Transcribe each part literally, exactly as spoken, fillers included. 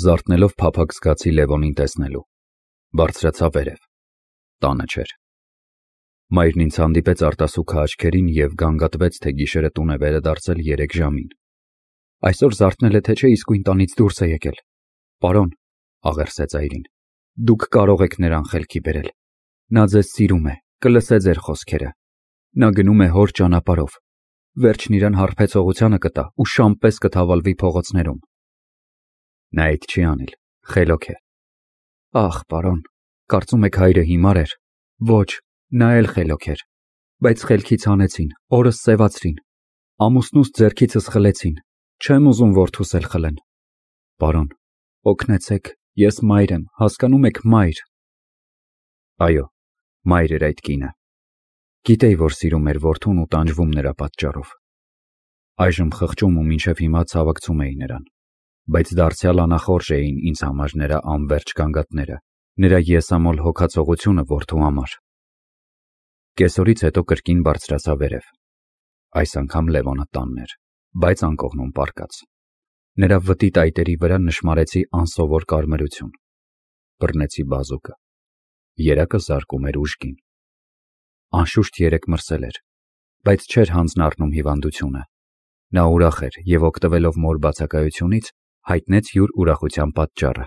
Զարթնելով փափագ զգացի Լևոնին տեսնելու։ Բարձրացա վերև։ Տանը չէր։ Մայրն ինձ հանդիպեց արտասուքը աչքերին և գանգատվեց, թե գիշերը տուն է վերադարձել երեք ժամին։ Այսօր զարթնել է, թե չէ իսկույն տանից դուրս է եկել։ Պարոն, աղերսեց այրին, դուք կարող եք նրան խելքի բերել։ Նա ձեզ սիրում է, կլսե ձեր խոսքերը։ Նա գնում է հոր ճանապարհով։ Վերջն իրան հարբեցողությանը կտա ու շամպես կթավալվի փողոցներում։ Նա այդ չի անիլ, խելոք է։ Ախ, պարոն, կարծում եք հայրը հիմար էր։ Ոչ, նա էլ խելոք էր, բայց խելքից հանեցին, օրս սևացրին, ամուսնուս ձեռքիցս խլեցին, չեմ ուզում որդուս էլ խլեն։ Պարոն, օգնեցեք, ես մայր եմ, հասկանում եք, մայր։ Այո, մայր էր այդ կինը։ Գիտեի, որ սիրում էր որդուն ու տանջվում նրա պատճառով։ Այժմ խղճում ու մինչև հիմա ցավակցում էի նրան, բայց դարձյալ անախորժ էին ինձ համար նրա անվերջ գանգատները, նրա եսամոլ հոգացողությունը որդու համար։ Կեսօրից հետո կրկին բարձրացա վերև։ Այս անգամ Լևոնը տանն էր, բայց անկողնում պառկած։ Նրա վտի տայտերի վրա նշմարեցի անսովոր կարմրություն։ Բռնեցի բազուկը։ Երակը զարկում էր ուժգին։ Անշուշտ երեք մրսել էր, բայց չէր հանձն առնում հիվանդությունը։ Նա ուրախ էր և օգտվելով մոր բացակայությունից հայտնեց յուր ուրախության պատճառը։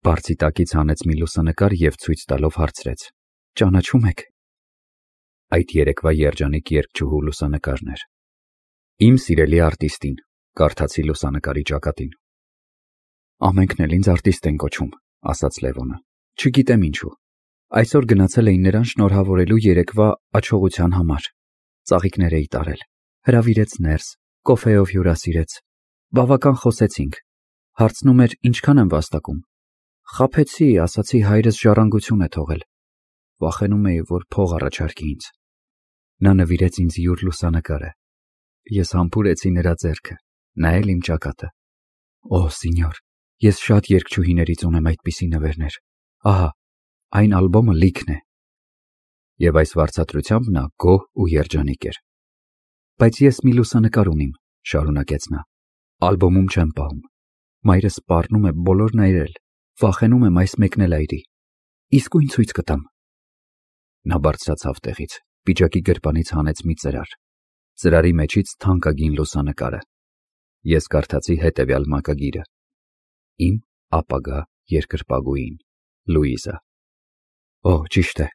Բարձի տակից հանեց մի լուսանկար և ցույց տալով հարցրեց. Ճանաչում եք։ Այդ երեկվա երջանիկ երգչուհու լուսանկարն էր։ Իմ սիրելի արտիստին, կարդացի լուսանկարի ճակատին։ Ամենքն էլ ինձ արտիստ են կոչում, ասաց Լևոնը։ Չգիտեմ ինչու։ Այսօր գնացել էին նրան շնորհավորելու երեկվա աչողության համար։ Ծաղիկներ էի տարել, հրավիրեց ներս, կոֆեով հյուրասիրեց։ Բավական խոսեցինք։ Հարցնում էր ինչքան եմ վաստակում։ Խաբեցի, ասացի հայրս ժառանգություն է թողել։ Վախենում էի, որ փող առաջարկի ինձ։ Նա նվիրեց ինձ յուր լուսանկարը։ Ես համբուրեցի նրա ձեռքը, նա էլ իմ ճակատը։ Օ, սինյոր, ես շատ երգչուհիներից ունեմ այդպիսի նվերներ։ Ահա, այն ալբոմը լիքն է։ Եվ այս վարձատրությամբ նա գոհ ու երջանիկ էր։ Բայց ես մի լուսանկար ունիմ, շարունակեց նա։ Ալբոմում չեմ պահում։ Մայրս սպառնում է բոլորն այրել, վախենում եմ այս մեկն էլ այրի։ Իսկույն ցույց կտամ։ Նա բարձրացավ տեղից, պիջակի գրպանից հանեց մի ծրար։ Ծրարի մեջից թանկագին լուսանկարը։ Ես կարդացի հետևյալ մակագիրը. Իմ ապագա երկրպագուին, Լուիզա։ Օ, ճիշտ է,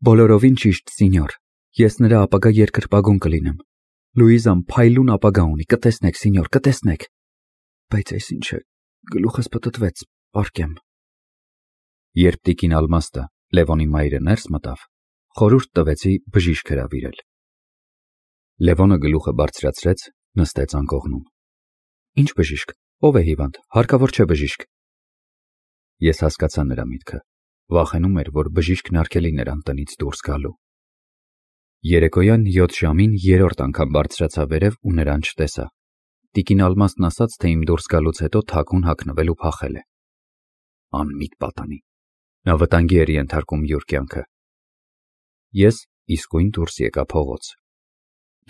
բոլորովին ճիշտ, սինյոր, ես նրա ապագա երկրպագուն կլինեմ։ Լուիզան փայլուն ապագա ունի, կտեսնեք, սինյոր, կտեսնեք։ Բայց այս ինչ է, գլուխս պտտվեց, պառկեմ։ Երբ տիկին Ալմաստը, Լևոնի մայրը ներս մտավ, խորհուրդ տվեցի բժիշկ հրավիրել։ Լևոնը գլուխը բարձրացրեց, նստեց անկողնում։ Ինչ բժիշկ, ով է հիվանդ, հարկավոր չէ բժիշկ։ Ես հասկացա նրա միտքը, վախենում էր, որ բժիշկն արգելի նրան տնից դուրս գալու։ Երեկոյան յոթ ժամին երրորդ անգամ բարձրացա վերև ու նրան չտեսա։ Տիկին Ալմաստն ասաց, թե իմ դուրս գալուց հետո թաքուն հագնվել ու փախել է։ Անմիտ պատանի։ Նա վտանգի էր ենթարկում յուր կյանքը։ Ես իսկույն դուրս եկա փողոց։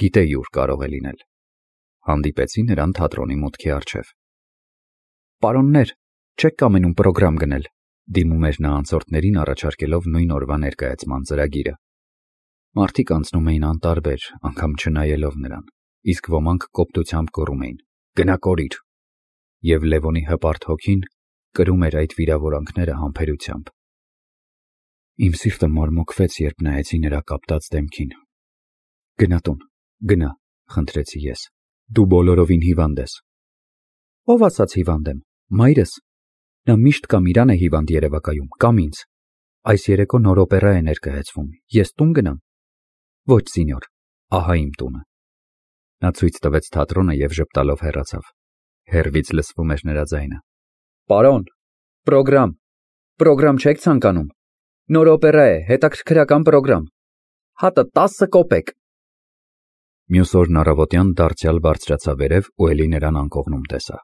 Գիտեի ուր կարող է լինել։ Հանդիպեցի նրան թատրոնի մուտքի առջև։ Պարոններ, չեք կամենում պրոգրամ գնել, դիմում էր նա անցորդներին առաջարկելով նույն օրվա ներկայացման ծրագիրը։ Մարդիկ անցնում էին անտարբեր, անգամ չնայելով նրան, իսկ ոմանք կոպտությամբ գոռում էին. Գնա կորիր։ Եվ Լևոնի հպարտ հոգին կրում էր այդ վիրավորանքները համբերությամբ։ Իմ սիրտը մարմոկվեց, երբ նայեցի նրա կապտած դեմքին։ Գնա տուն, գնա, խնդրեցի ես։ Դու բոլորովին հիվանդ ես։ Ով ասաց հիվանդ եմ, մայրս։ Նա միշտ կամ իրան է հիվանդ երևակայում, կամ ինձ։ Այս երեկո նոր օպերա է ներկայացվում, ես տուն գնամ։ Ոչ, սինյոր, ահա իմ տունը։ Նա ցույց տվեց թատրոնը և ժպտալով հեռացավ։ Հեռվից լսվում էր նրա ձայնը։ Պարոն, պրոգրամ, պրոգրամ չեք ցանկանում։ Նոր օպերա է, հետաքրքրական պրոգրամ։ Հատը տասը կոպեկ։ Մյուս օրն առավոտյան դարձյալ բարձրացա վերև ու էլի նրան անկողնում տեսա։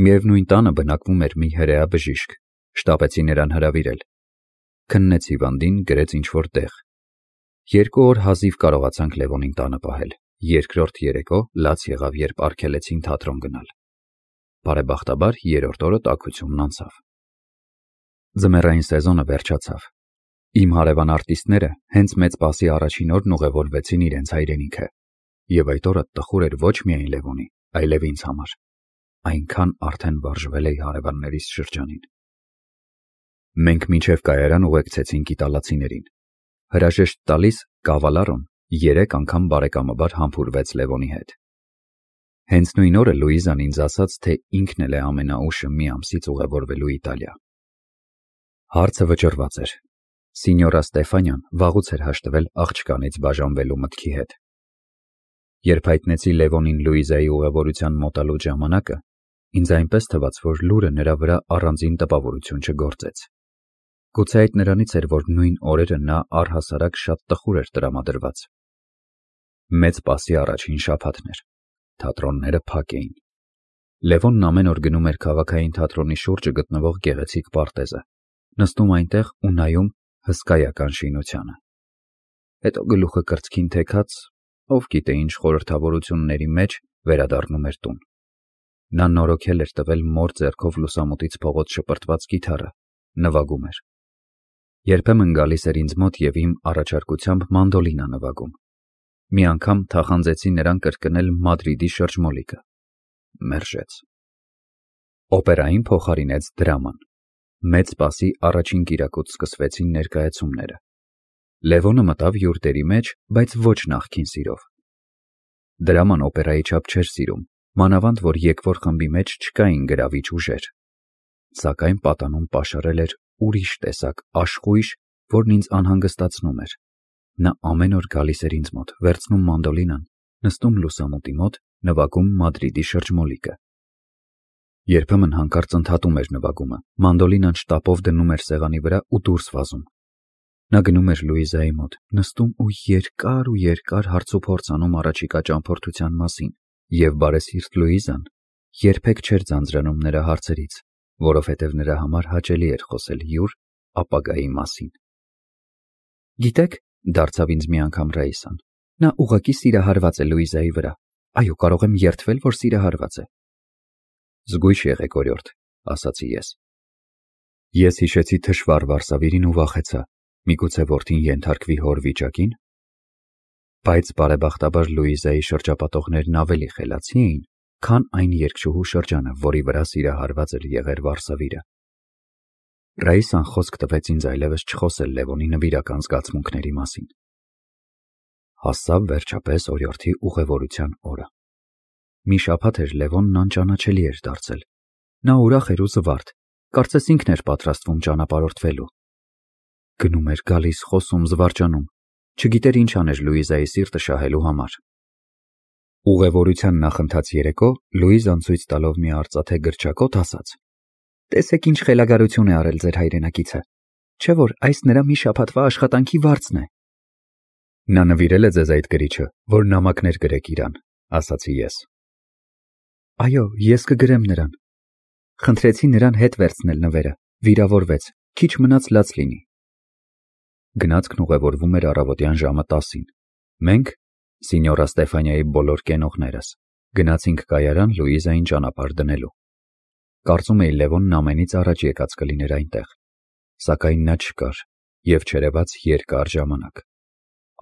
Միևնույն տանը բնակվում էր մի հրեա բժիշկ, շտապեցի նրան հրավիրել։ Քննեց հիվանդին, գրեց ինչ-որ տեղ։ Երկու օր հազիվ կարողացանք Լևոնին տանը պահել, երկրորդ երեկո լաց եղավ, երբ արգելեցին թատրոն գնալ։ բարեբախտաբար երրորդ օրը տաքությունն անցավ։ Ձմեռային սեզոնը վերջացավ։ Իմ հարևան արտիստները հենց մեծ պասի առաջին օրն ուղևորվեցին իրենց հայրենիքը, եւ այդ օրը տխուր էր ոչ միայն Լևոնի, այլև ինձ համար։ Այնքան արդեն վարժվել էի հարևաններիս շրջանին։ Մենք մինչև կայարան ուղեկցեցինք իտալացիներին։ Հրաժեշտ տալիս Կավալարոն երեք անգամ բարեկամաբար համբուրվեց Լևոնի հետ։ Հենց նույն օրը Լուիզան ինձ ասաց, թե ինքն էլ է ամենաուշը մի ամսից ուղևորվելու Իտալիա։ Հարցը վճռված էր։ Սինյորա Ստեֆանյան վաղուց էր հաշտվել աղջկանից բաժանվելու մտքի հետ։ Երբ հայտնեցի Լևոնին Լուիզայի ուղևորության մոտալու ժամանակը, ինձ այնպես թվաց, որ լուրը նրա վրա առանձին տպավորություն չգործեց։ Գուցե այդ նրանից էր, որ նույն օրերը նա առհասարակ շատ տխուր էր տրամադրված։ Մեծ պասի առաջին շաբաթն էր։ Թատրոնները փակ էին։ Լևոնն ամեն օր գնում էր քաղաքային թատրոնի շուրջը գտնվող գեղեցիկ պարտեզը, նստում այնտեղ ու նայում հսկայական շինությանը։ Հետո գլուխը կրծքին թեքած, ով գիտե ինչ խորհրդավորությունների մեջ վերադառնում էր տուն։ Նա նորոգել էր տվել մոր ձեռքով լուսամուտից փողոց շպրտված կիթառը, նվագում էր։ Երբեմն գալիս էր ինձ մոտ եւ իմ առաջարկությամբ մանդոլինա նվագում։ Մի անգամ թախանձեցի նրան կրկնել Մադրիդի շրջմոլիկը։ Մերժեց։ Օպերային փոխարինեց դրաման։ Մեծ պասի առաջին կիրակոց սկսվեցին ներկայացումները։ Լևոնը մտավ յուր դերի մեջ, բայց ոչ նախքին սիրով։ Դրաման օպերայի չափ չէր սիրում, մանավանդ որ եկվոր խմբի մեջ չկային գրավիչ ուժեր։ Սակայն պատանում պաշարել էր ուրիշ տեսակ աշխույժ, որն ինձ անհանգստացնում էր։ Նա ամեն օր գալիս էր ինձ մոտ, վերցնում մանդոլինան, նստում լուսամուտի մոտ, նվագում Մադրիդի շրջմոլիկը։ Երբեմն հանկարծ ընդհատում էր նվագումը, մանդոլինան շտապով դնում էր սեղանի վրա ու դուրս վազում։ Նա գնում էր Լուիզայի մոտ, նստում ու երկար ու երկար հարցուփորձ անում առաջիկա ճամփորդության մասին, եւ բարեսիրտ Լուիզան երբեք չէր ձանձրանում նրա հարցերից, որովհետև նրա համար հաճելի էր խոսել յուր ապագայի մասին։ Գիտեք, դարձավ ինձ մի անգամ Ռաիսան, նա ուղղակի սիրահարված է Լուիզայի վրա։ Այո, կարող եմ երդվել, որ սիրահարված է։ Զգույշ եղեք, օրիորդ, ասացի ես։ Ես հիշեցի թշվառ Վարսավիրին ու վախեցա, միգուցե որդին ենթարկվի հոր վիճակին։ Բայց բարեբախտաբար Լուիզայի շրջապատողներն ավելի խելացի էին, քան այն երկշուհու շրջանը, որի վրա սիրահարված էր եղեր Վարսավիրը։ Ռաիսան խոսք տվեց ինձ այլևս չխոսել Լևոնի նվիրական զգացմունքների մասին։ Հասավ վերջապես օրիորդի ուղևորության օրը։ Մի շաբաթ էր Լևոնն անճանաչելի էր դարձել։ Նա ուրախ էր ու զվարթ, կարծես ինքն էր պատրաստվում ճանապարհորդվելու։ Գնում էր գալիս, խոսում, զվարճանում, չգիտեր ինչ աներ Լուիզայի սիրտը շահելու համար։ Ուղևորության նախընթաց երեկո Լուիզան ցույց տալով մի արծաթե գրչակոտ ասաց. «Տեսեք ինչ խելագարություն է արել ձեր հայրենակիցը, չէ՞ որ այս նրա մի շաբաթվա աշխատանքի վարձն է»։ Նա նվիրել է ձեզ այդ գրիչը, որ նամակներ գրեք իրան, ասացի ես։ Այո, ես կգրեմ նրան։ Խնդրեցի նրան հետ վերցնել նվերը, վիրավորվեց, քիչ մնաց լաց լինի։ Գնացքն ուղևորվում էր առավոտյան ժամը տասին։ Մենք, Սինյորա Ստեֆանիայի բոլոր կենողներս, գնացինք կայարան Լուիզային ճանապարհ դնելու։ Կարծում էի Լևոնն ամենից առաջ եկած կլիներ այնտեղ, սակայն նա չկար եւ չերևաց երկար ժամանակ։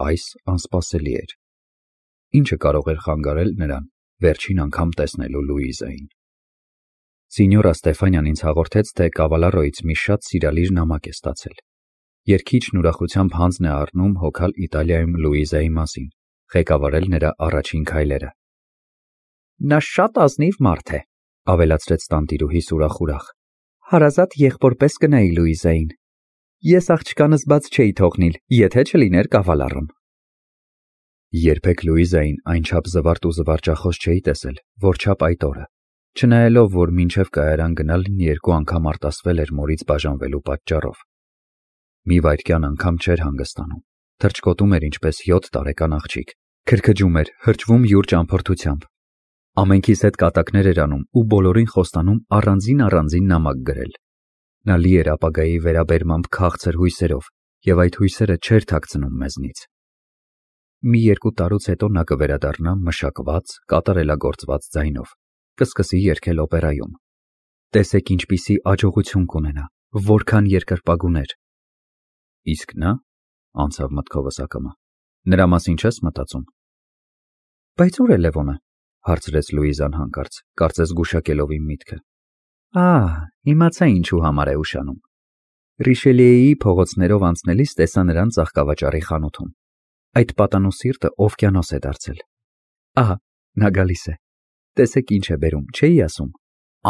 Այս անսպասելի էր։ Ինչը կարող էր խանգարել նրան վերջին անգամ տեսնելու Լուիզային։ Սինյորա Ստեֆանյան ինձ հաղորդեց, թե Կավալարոյից մի շատ սիրալիր նամակ է ստացել։ Երգիչն ուրախությամբ հանձն է առնում հոգալ Իտալիայում Լուիզայի մասին, ղեկավարել նրա առաջին քայլերը։ Նա շատ ազնիվ մարդ է, ավելացրեց տանտիրուհիս ուրախ-ուրախ։ Հարազատ եղբորպես կնայի Լուիզային։ Ես աղջկանս բաց չէի թողնիլ, եթե չլիներ Կավալարոն։ Երբեք Լուիզային այնչափ զվարթ ու զվարճախոս չէի տեսել, որչափ այդ օրը, չնայելով, որ մինչև կայարան գնալն երկու անգամ արտասվել էր մորից բաժանվելու պատճառով։ Մի վայրկյան անգամ չէր հանգստանում, թռչկոտում էր ինչպես յոթ տարեկան աղջիկ, քրքջում էր, հրճվում յուր ճամփորդությամբ։ Ամենքիս հետ կատակներ էր անում ու բոլորին խոստանում առանձին-առանձին նամակ գրել։ Նա լի էր ապագայի վերաբերմամբ քաղցր հույսերով, եւ այդ հույսերը չէր թաքցնում մեզնից։ Մի երկու տարուց հետո նա կվերադառնա մշակված, կատարելագործված ձայնով, կսկսի երգել օպերայում։ Տեսեք ինչպիսի աջողություն կունենա, որքան երկրպագուներ։ Իսկ նա, անցավ մտքովս ակամա, նրա մասին չես մտածում։ Բայց ուր է Լևոնը, հարցրեց Լուիզան հանկարծ, կարծես գուշակելով իմ միտքը։ Ահ, իմացա ինչու համար է ուշանում։ Ռիշելիեի փողոցներով անցնելիս տեսա նրան ծաղկավաճառի խանութում։ Այդ պատանու սիրտը օվկիանոս է դարձել։ Ահա, նա գալիս է։ Տեսեք ինչ է բերում, չէի ասում։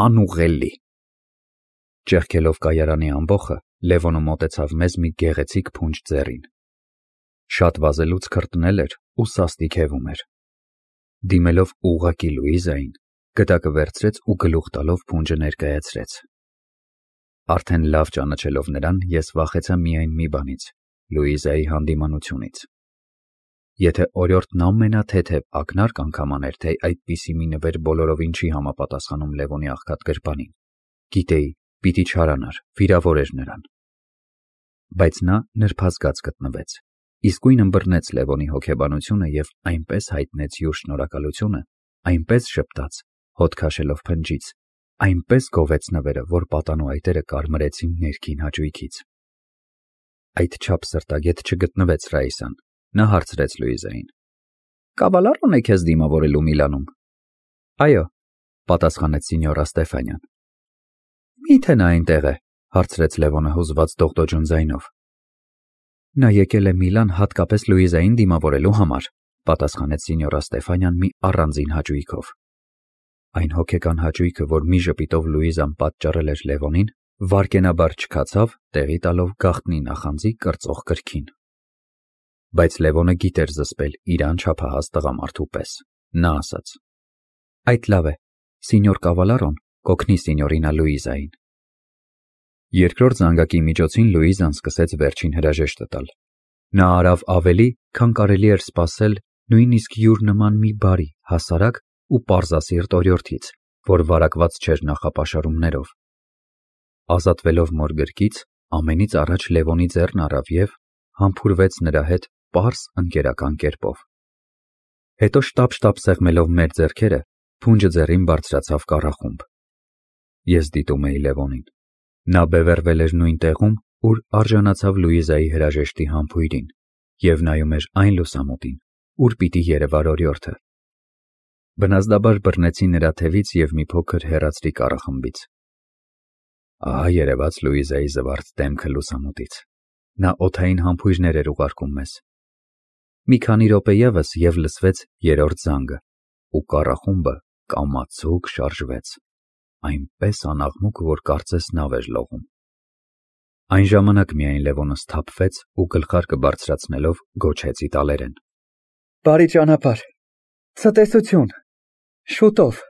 Անուղելի։ Ճեղքելով կայարանի ամբոխը, Լևոնը մոտեցավ մեզ մի գեղեցիկ փունջ ձեռին։ Շատ վազելուց քրտնել էր ու սաստիկ հևում էր։ Դիմելով ուղղակի Լուիզային, գդակը վերցրեց ու գլուխ տալով փունջը ներկայացրեց։ Արդեն լավ ճանաչելով նրան, ես վախեցա միայն մի բանից՝ Լուիզայի հանդիմանությունից։ Եթե օրիորդն ամենաթեթև ակնարկ անգամ աներ, թե այդպիսի մի նվեր բոլորովին չի համապատասխանում Լևոնի աղքատ գրպանին, գիտեի, պիտի չարանար, վիրավորեր նրան։ Բայց նա նրբազգաց գտնվեց, իսկույն ըմբռնեց Լևոնի հոգեբանությունը և այնպես հայտնեց յուր շնորհակալությունը, այնպես ժպտաց, հոտ քաշելով փնջից, այնպես գովեց նվերը, որ պատանու այտերը կարմրեցին ներքին հաճույքից։ Այդչափ սրտագետ չգտնվեց Ռաիսան, նա հարցրեց Լուիզային. Կավալառոն է քեզ դիմավորելու Միլանում։ Այո, պատասխանեց սինյորա Ստեֆանյան։ Մի՞թե նա այնտեղ է, հարցրեց Լևոնը հուզված դողդոջուն ձայնով։ Նա եկել է Միլան հատկապես Լուիզային դիմավորելու համար, պատասխանեց սինյորա Ստեֆանյան մի առանձին հաճույքով։ Այն հոգեկան հաճույքը, որ մի ժպիտով Լուիզան պատճառել էր Լևոնին, վարկենաբար չքացավ, տեղի տալով գաղտնի նախանձի կրծող կրքին։ Բայց Լևոնը գիտեր զսպել իր անչափահաս տղամարդու պես։ Նա ասաց. Այդ լավ է, սինյոր Կավալարոն կօգնի սինյորինա Լուիզային։ Երկրորդ զանգակի միջոցին Լուիզան սկսեց վերջին հրաժեշտը տալ։ Նա արավ ավելի, քան կարելի էր սպասել նույնիսկ յուր նման մի բարի, հասարակ ու պարզասիրտ օրիորդից, որ վարակված չէր նախապաշարումներով։ Ազատվելով մոր գրկից, ամենից առաջ Լևոնի ձեռն առավ և համբուրվեց նրա հետ պարզ ընկերական կերպով։ Հետո շտապ-շտապ սեղմելով մեր ձեռքերը, փունջը ձեռին բարձրացավ կառախումբ։ Ես դիտում էի Լևոնին։ Նա բևեռվել էր նույն տեղում, ուր արժանացավ Լուիզայի հրաժեշտի համբույրին, և նայում էր այն լուսամուտին, ուր պիտի երևար օրիորդը։ Բնազդաբար բռնեցի նրա թևից և մի փոքր հեռացրի կառախմբից։ Ահա երևաց Լուիզայի զվարթ դեմքը լուսամուտից։ Նա օդային համբույրներ էր ուղարկում մեզ։ Մի քանի րոպե ևս և լսվեց երրորդ զանգը, ու կառախումբը կամացուկ շարժվեց, այնպես անաղմուկ, որ կարծես նավ էր լողում։ Այն ժամանակ միայն Լևոնը սթափվեց ու գլխարկը բարձրացնելով գոչեց իտալերեն. Բարի ճանապարհ, ցտեսություն, շուտով։